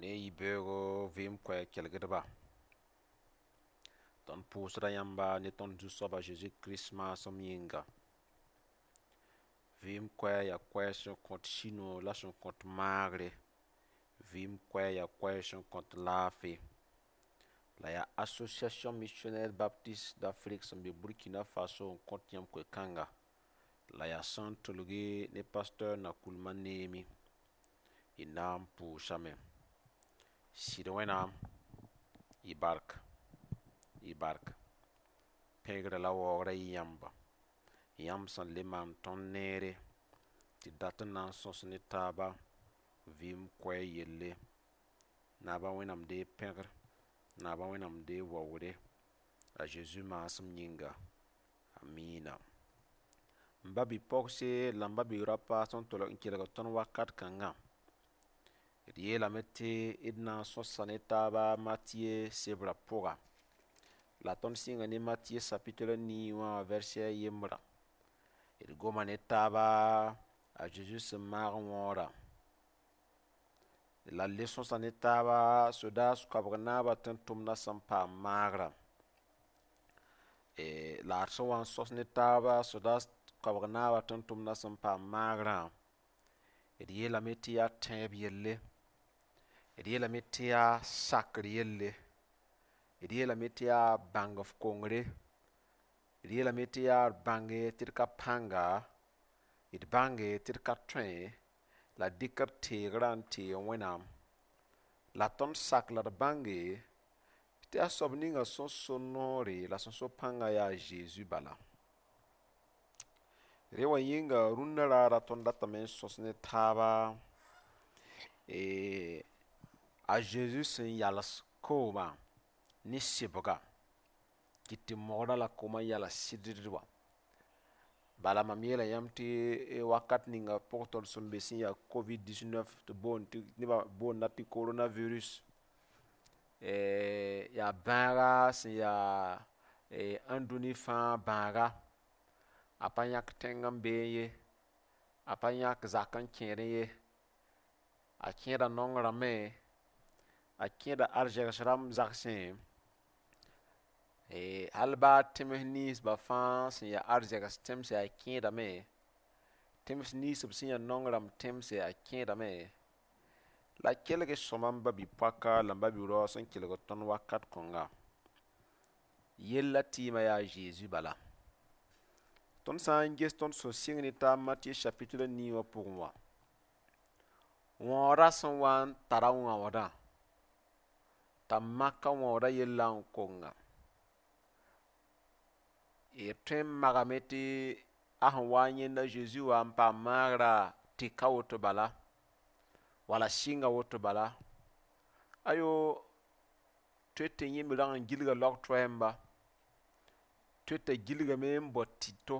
Ne yibeoogo vɩɩm koɛɛg kelgdba. Tõnd pʋʋsda yãmba ne tõnd Zu-soab a Zeezi Kirist maasem yĩnga. Vɩɩm koɛɛg yaa koɛɛg sẽn kõt sũ-noog la sẽn kõt maagre. Vɩɩm koɛɛg yaa koɛɛg sẽn kõt laafɩ. La yaa Association Missionnaire Baptiste d'Afrique sẽn be Burkina Faso n kõt yãmb koe-kãnga. La yaa sã n tʋlge ne pasteur Nakoulma Neemi. Y na n pʋʋsame. Sɩd Wẽnnaam, y bark, y bark. Pẽgrã la waoogrã yɩ yãmba. Yãmb sẽn le maan tõnd neere tɩ dat n na n sõs ne taaba vɩɩm koɛɛg yelle. Naaba Wẽnnaam deeg pẽgr, naaba Wẽnnaam deeg waoogre. A Zeezi maasem yĩnga. Amiina. M ba bi-pogse la m ba bi-raopa sẽn tolg n kelg tõnd wakat kãngã. D yeelame tɩ d na n sõsa ne taaba Matiye sebrã pʋga. La tõnd sɩnga ne Matiye chapitre 9 wã verset a yembrã. D goma ne taaba a Zeezi sẽn maag wãoorã. La d le sõsa ne taaba sodaas koabg naabã tẽn-tʋmdã sẽn paam maagrã. La d sẽn wa n sõs ne taaba sodaas koabg naabã tẽn-tʋmdã sẽn paam maagrã, d yeelame tɩ yaa tẽeb yelle, d yeelame tɩ yaa sakr yelle, d yeelame tɩ yaa bãng f kongre, d yeelame tɩ yaa d bãnge tɩ d ka pãnga, d bãnge tɩ d ka tõe, la d dɩk d teegrã n teeg Wẽnnaam. La tõnd sak la d bãnge tɩ a soab ninga sẽn so noore la sẽn so pãngã yaa Zeezi bala. Rẽ wã yĩnga rũndã raara tõnd datame n sõs ne taaba a Zeezi sẽn yals koomã ne sɩbga kɩt tɩ mogrã la koomã yala sɩd wã. Bala mam yeela yãmb tɩ wakat ninga pʋg tõnd sẽn be sẽn yaa COVID-19 tɩ boond tɩ nebã boonda tɩ coronavirus, yaa bãaga sẽn yaa ãndũni fãa bãaga. A pa yãk tẽng n beẽ ye, a pa yãk zak n kẽedẽ ye, a kẽeda naong rãmbẽ, a kẽeda arzegs rãmb zagsẽ, hal baa tẽms ninsba fãa sẽn yaa arzegs tẽmsɛ a kẽedame, tẽms ninsb sẽn yaa naong rãmb tẽmsɛ a kẽedame. La kelg sõma n ba bi-poaka la m ba bi-rao sẽn kelg tõnd wakat kõnga. Yella tɩɩmã yaa Zeezi bala. Tõnd sã n ges tõnd sẽn sɩng ne taab Matiye chapitre 9 wã pʋgẽ wã, wãoodã sẽn wa n tara wãoodã t'a maka wãoodã yella n konga. D tõe n magame tɩ a sẽn wa n yẽnd a Zeezi wa n paam maagrã tɩka woto bala, wala sɩnga woto bala. Ayo, tõe tɩ yẽ me rag n gilga laog-toɛɛmba, tõe t'a gilgame n bao tɩto,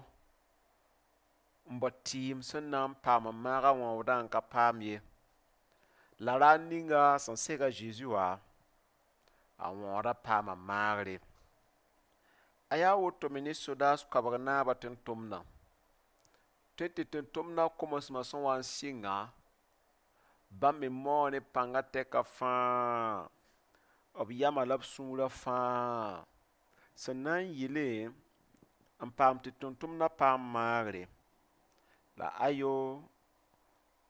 n bao tɩɩm sẽn na n paam n maag a wãoodã n ka paam ye. La raar ninga sẽn seg a Zeezi wã, a wãoodã paama maagre. A yaa woto me ne sodaas koabg naabã tẽn-tʋmdã. Tõe tɩ tẽn-tʋmdã komsmã sẽn wa n sɩnga, bãmb me mao ne pãngã tɛka fãa, b yamã la b sũurã fãa sẽn na n yɩle n paam tɩ tʋm-tʋmdã paam maagre. La ayo,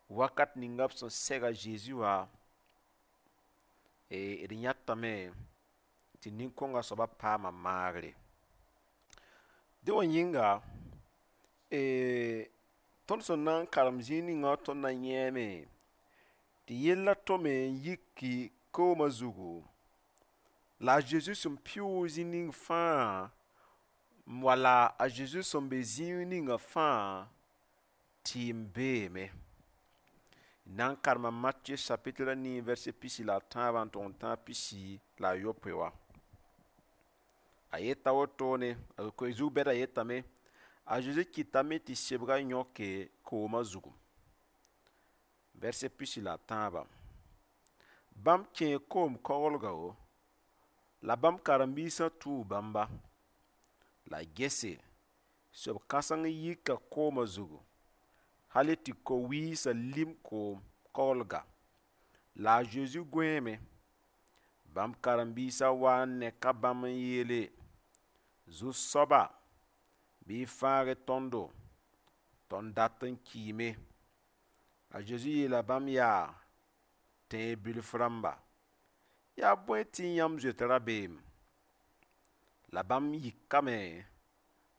wakat ninga b sẽn seg a Zeezi wã, d yãtame tɩ nin-kõngã soabã paama maagre. Dẽ wã yĩnga, tõnd sẽn na n karem zĩig ninga tõnd na yẽeme tɩ yella tome n yiki koomã zugu, la a Zeezi sẽn pɩʋʋg zĩ ning fãa, wala a Zeezi sẽn be zĩig ninga fãa, tɩɩm beeme. Na n karema Matiye chapitre 9 verset 13 n tʋg n tãag 78 wã. A yeta wotone, a zug bɛda yetame, a Zeezi kɩtame tɩ sebgã yõke koomã zugu. Verset 13. Bãmb kẽe koom koglga wo, la bãmb karen-biisã tuu bãmba. La gese, soab kãseng yika koomã zugu, hal tɩ ko-wiisã lim koom koglga. La a Zezi gõeeme. Bãmb karen-biisã wa n neka bãmb n yeele: Zu-soaba, bɩ y fãag tõndo, tõnd dat n kiime. A Zezi yeela bãmb yaa: Tẽeb bilf rãmba, yaa bõe tɩ yãmb zoet rabeem? La bãmb yikame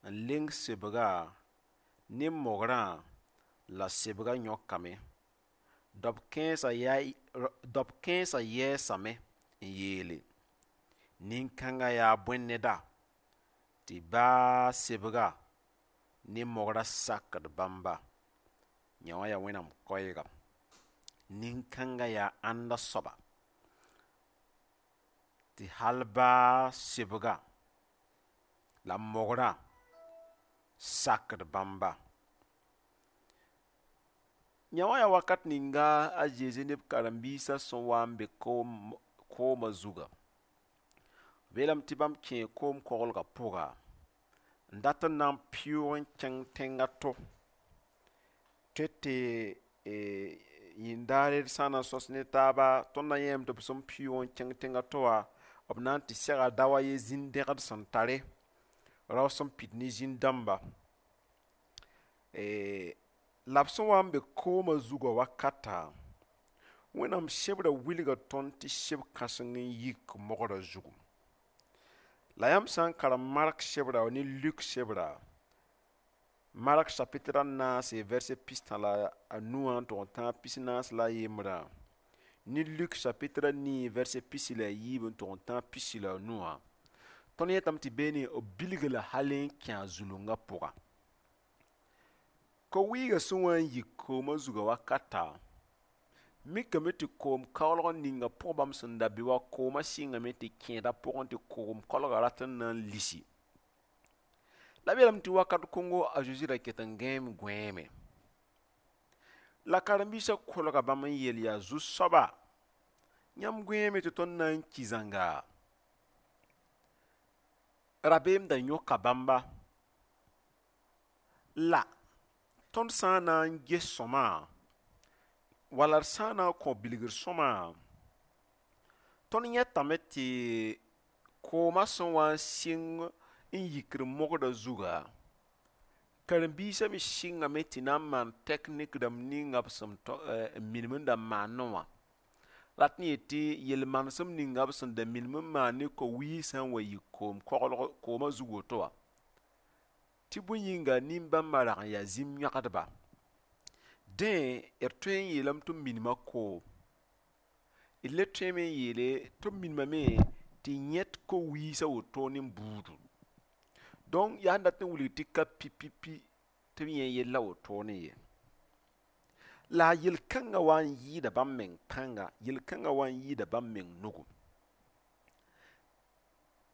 n leng sebgã ne mogrã la sebgã yõkame. Daob kãensã yɛɛsame n yeele: Nin-kãngã yaa bõe neda tɩ baa sebga ne mogrã sakd bãmba? Yẽ wã yaa Wẽnnaam koɛɛga. Nin-kãngã yaa ãnda soaba tɩ hal baa sebga la mogrã sakd bãmba. Yã wã yaa wakat ninga a Zezi ne b karen-biisã sẽn wa n be koomã zuga. B yeelame tɩ bãmb kẽe koom-koglgã pʋga n dat n na n pɩʋʋg n kẽng tẽng a to. Tõe tɩ yĩndaar d sã n na n sõs ne taaba, tõnd na yẽeme tɩ b sẽn pɩʋʋg n kẽng tẽng a to wã, b na n tɩ sega dao a ye zĩn-dẽgd sẽn tare, rao sẽn pid ne zĩn-dãmba. La b sẽn wa n be koomã zugã wakata, Wẽnnaam sebrã wilga tõnd tɩ seb kãseng n yik mogrã zugu. La yãmb sã n karem Mark sebra ne Luk sebra, Mark chapitre a naase verset 65 wã n tʋg n tãag 41 la ne Luk chapitre a nii verset 14 n tʋg n tãag 15 wã, tõnd yetame tɩ beene b bilg la hal n kẽ a zulungã pʋga. Ko-wɩɩgã sẽn wa n yik koomã zugã wakata, mikame tɩ koom-kaoolg ninga pʋg bãmb sẽn da be wã, koomã sɩngame tɩ kẽeda pʋgẽ tɩ koom-koalgã rat n na n lisi. La b yeelame tɩ wakat kõngo a Zezi ra ket n gãeem gõeeme. La karen-biisã kolga bãmb n yeel yaa: Zu-soaba, yãmb gõeeme tɩ tõnd na n ki zãnga. Rabeem da yõka bãmba. La tõnd sã n na n ges sõma, wala d sã n na n kõ bilgr sõma, tõnd yẽtame tɩ koomã sẽn wa n sɩng n yikd mogrã zuga, karen-biisã me sɩngame tɩ na n maan tɛknik rãmb ninga b sẽn n minim n da maanẽ wã. Rat n yet tɩ yel-manesem ninga b sẽn da minim n maan ne ko-wiig sã n wa yik koomã zug woto wã, tɩ bõe yĩnga nin-bãmbã rag n yaa zĩm yõgdba. Dẽ d tõe n yeelame tɩ b minima koom. D le tõeme n yeele tɩ b minimame tɩ yẽt ko-wiisã woto ne buudu. Donc yaa sẽn dat n wilg tɩ ka pipipi tɩ b yẽ yella wotone ye. La a yel-kãngã wa n yɩɩda bãmb meng pãnga, yel-kãngã wa n yɩɩda bãmb meng nugu.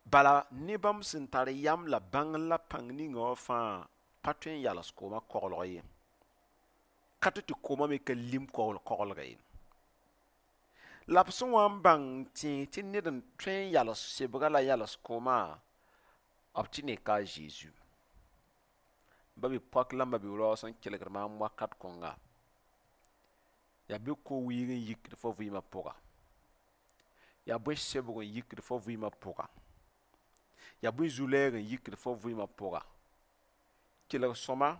Bala ne bãmb sẽn tar yam la bãng la pãng ninga wã fãa pa tõe n yals koomã koglg ye. Ka tɩ tɩ koomã me ka lim koglga ye. La b sẽn wa n bãng n tẽeg tɩ ned n tõe n yals sebga la yals koomã, b tɩ neka a Zeezi. Ba bi-poak la m ba-bi-raoog sẽn kelgd maam wakat kõnga, yaa bɩ ko-wiig n yikd fo vɩɩmã pʋga, yaa bõe sebg n yikd fo vɩɩmã pʋga, yaa bõe zu-lɛɛg n yikd fo vɩɩmã pʋga. Kelg sõma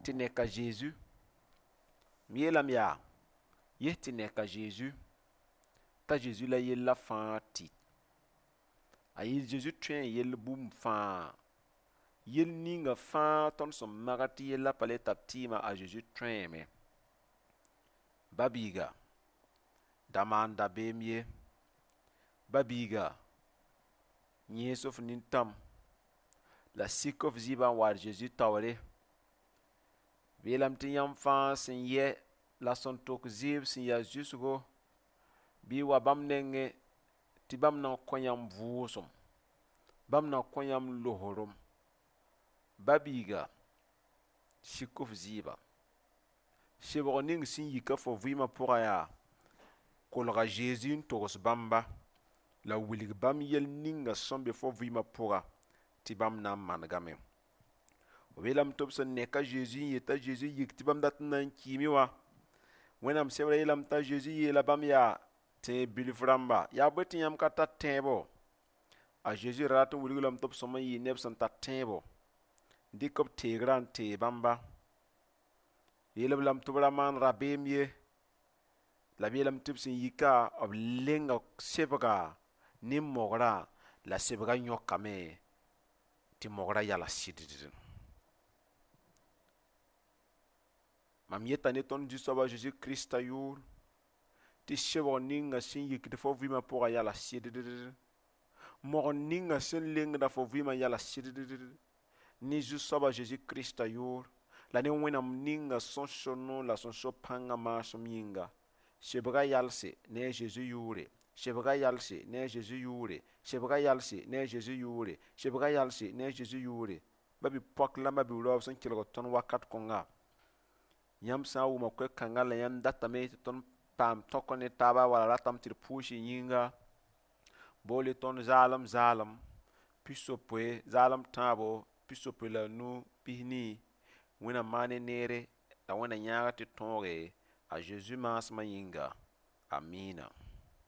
tɩ neka Zeezi. M yeelame yaa, yes tɩ neka Zeezi, t'a Zeezi la yella fãa tɩ. A yɩ Zeezi tõe n yell bũmb fãa. Yell ninga fãa tõnd sẽn magd tɩ yella pa le tar tɩɩmã, a Zeezi tõeeme. Ba-biiga, da maan dabeem ye. Ba-biiga, yẽes f nintãm la sik f zɩɩbã n wa d Zeezi taoore. B yeelame tɩ yãmb fãa sẽn yɛ la sẽn tok zɩɩb sẽn yaa zʋsgo, bɩ y wa bãmb nengẽ tɩ bãmb na n kõ yãmb vʋʋsem, bãmb na kõ yãmb losorum. Ba-biiga, sik f zɩɩba. Sebg ning sẽn yika fo vɩɩmã pʋga yaa, kolga Zeezi n togs bãmba la wilg bãmb yell ninga sẽn be fo vɩɩmã pʋga tɩ bãmb na n manegame. B yeelame tɩ b sẽn neka Zeezi n yet t'a Zeezi yik tɩ bãmb dat n na n kiime wã, Wẽnnaam sebrã yeelame t'a Zeezi yeela bãmb yaa tẽeb bilf rãmba, yaa bõe tɩ yãmb ka tar tẽebo? A Zeezi ra rat n wilg lame tɩ b sõm n yɩ neb sẽn tar tẽebo, n dɩk b teegrã n tee bãmba. Yeel-b lame tɩ b ra maan rabeem ye, la b yeelame tɩ b sẽn yika, b lenga sebga ne mogrã, la sebgã yõkame tɩ mogrã yala sɩddd. Mam yeta ne tõnd Zu-soab a Zeezi Krista yʋʋr tɩ sebg ninga sẽn yikd fo vɩɩmã pʋgã yala sɩddd. Mogr ninga sẽn lengda fo vɩɩmã yala sɩddd. Ne Zu-soab a Zeezi Krista yʋʋr la ne Wẽnnaam ninga sẽn so noor la sẽn so pãngã maasem yĩnga, sebgã yalse ne a Zeezi yʋʋre, sebgã yalse ne a Zeezi yʋʋre, sebgã yalse ne a Zeezi yʋʋre, sebgã yalse ne a Zeezi yʋʋre. Ba-bi-poak la ma-bi-raoob sẽn kelgd tõnd wakat kõnga, yãmb sã n wʋma koe-kãngã la yãmb datame tɩ tõnd paam tõk ne taaba wala ratame tɩ d pʋʋs y yĩnga, bool-y tõnd zaalem zaalem pisopoe zaalem tãabo 65 40. Wẽnnaam maan y neere la Wẽnna yãag tɩ tõoge a Zeezi maasmã yĩnga. Amiina.